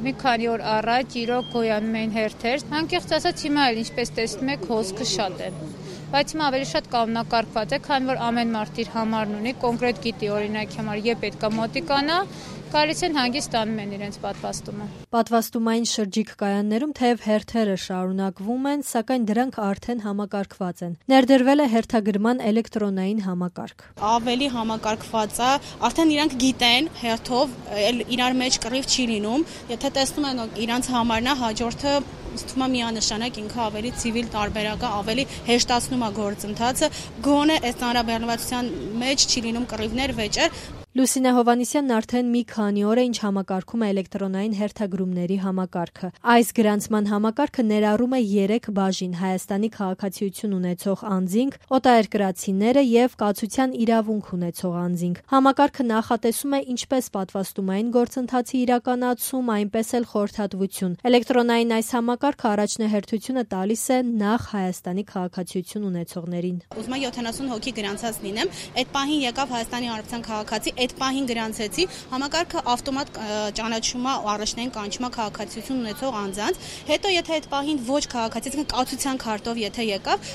Մի քանի օր առաջ իրոք գոյանում էին հերթեր, անկեղծ ասած հիմա էլ ինչպես տեսնում եք հոսքը շատ է, բայց հիմա ավելի շատ կանոնակարգված է, քանի որ ամեն մարդ իր համարն ունի, կոնկրետ գիտի օրինակ համար երբ պետք է մոտիկանա, գալիս են հանգիստ ստանում են իրենց պատվաստումը։ Պատվաստումային շրջիկ կայաններում թեև հերթերը շարունակվում են, սակայն դրանք արդեն համակարգված են։ Ներդրվել է հերթագրման էլեկտրոնային համակարգ։ Ավելի համակարգված է, արդեն իրանք գիտեն հերթով, իրար մեջ կռիվ չի լինում, եթե տեսնում են իրանց համարն է, հաջորդը ստում է միանշանակ ինքը ավելի ցիվիլ տարբերակ է, ավելի հեշտացնում է գործընթացը, գոնե այս հանրաբեռնվածության մեջ չի լինում կռիվներ, վեճեր։ Լուսինե Հովհաննիսյանն արդեն մի քանի օր է ինչ համակարգում է էլեկտրոնային հերթագրումների համակարգը։ Այս գրանցման համակարգը ներառում է 3 բաժին՝ Հայաստանի քաղաքացիություն ունեցող անձինք, օտարերկրացիները եւ կացության իրավունք ունեցող անձինք։ Համակարգը նախատեսում է ինչպես պատվաստումային գործընթացի իրականացում, այնպես էլ խորհրդատվություն։ Էլեկտրոնային այս համակարգը առաջնահերթությունը տալիս է նախ Հայաստանի քաղաքացիություն ունեցողներին։ Ուզում եմ 70 հոգի գրանցած լինեմ, այդ պահին եկավ Հայաստանի Հանրապետության քաղաքացի, այդ պահին գրանցեցի, համակարգը ավտոմատ ճանաչում է առաջնային կանչում է քաղաքացիություն ունեցող անձանց, հետո եթե այդ պահին ոչ քաղաքացի, կացության քարտով եթե եկավ,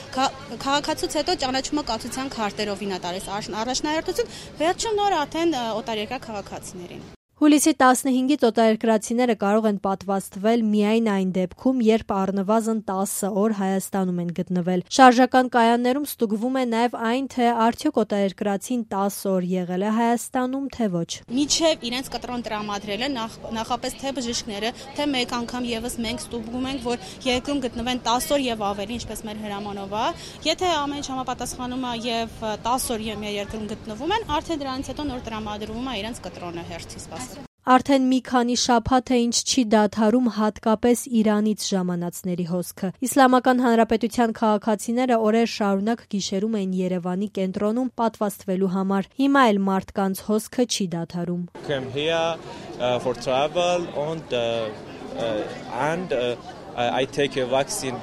քաղաքացուց հետո ճանաչում է կացության քարտերով ինա տալիս առաջնահերթություն, վերջում նոր արդեն օտարերկրյա քաղաքացիներին։ Հուլիսի 15-ից օտարերկրացիները կարող են պատվաստվել միայն այն դեպքում, երբ առնվազն 10 օր Հայաստանում են գտնվել։ Շարժական կայաններում ստուգվում է նաև այն, թե արդյոք օտարերկրացին 10 օր եղել է Հայաստանում, թե ոչ։ Մինչև իրենց կտրոն տրամադրելը նախապես թե բժիշկները, թե մեկ անգամ եւս մենք ստուգում ենք, որ երկրում գտնվեն 10 օր եւ ավելի, ինչպես մեր հրամանով է։ Եթե ամեն ինչ համապատասխանում է եւ 10 օր երկրում գտնվում են, արդեն դրանից հետո նոր տրամադրվում է իրենց կտրոնը հերթի սպասել։ Արդեն մի քանի շաբաթ է ինչ չի դադարում հատկապես Իրանից ժամանածների հոսքը։ Իսլամական Հանրապետության քաղաքացիները օրեր շարունակ գիշերում էին Երևանի կենտրոնում պատվաստվելու համար։ Հիմա էլ մարդկանց հոսքը չի դադարում։ I take a vaccine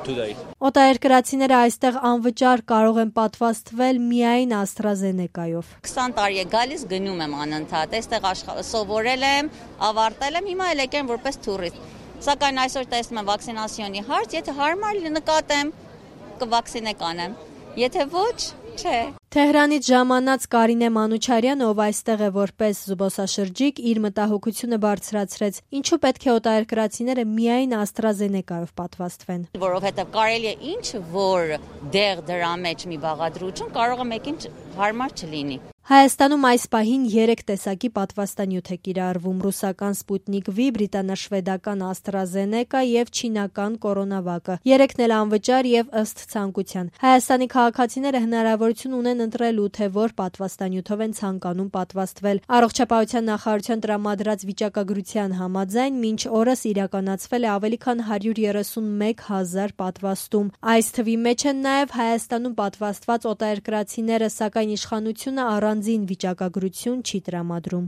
today. Օտարերկրացիները այստեղ անվճար կարող են պատվաստվել միայն AstraZeneca-ով։ 20 տարի է գալիս, գնում եմ անընդհատ, այստեղ սովորել եմ, ավարտել եմ, հիմա էլ եկեմ որպես տուրիստ։ Սակայն այսօր տեսնում եմ վակցինացիոնի հարց, եթե հարմար նկատեմ, կվակցինե կանեմ, եթե ոչ, չէ։ Թեհրանից ժամանած Կարինե Մանուչարյանը, ով այստեղ է որպես զբոսաշրջիկ, իր մտահոգությունը բարձրացրեց. ինչու պետք է օտարերկրացիները միայն AstraZeneca-ով պատվաստվեն։ Որովհետև կարելի է ինչ որ դեղ դրա մեջ մի բաղադրություն կարող է մեկին հարմար չլինի։ Հայաստանում այս պահին 3 տեսակի պատվաստանյութ է կիրառվում՝ ռուսական Sputnik V, բրիտանաշվեդական AstraZeneca եւ չինական Coronavac-ը։ Երեքն էլ անվճար եւ ըստ ցանկության։ Հայաստանի քաղաքացիները հնարավորություն ունեն ընտրելու, թե որ պատվաստանյութով են ցանկանում պատվաստվել։ Առողջապահության նախարարության տրամադրած վիճակագրության համաձայն մինչ օրս իրականացվել է ավելի քան 131 000 պատվաստում։ Այս թվի մեջ են նաեւ Հայաստանում պատվաստված օտարերկրացիները, սակայն իշխանությունը առանձին վիճակագրություն չի տրամադրում։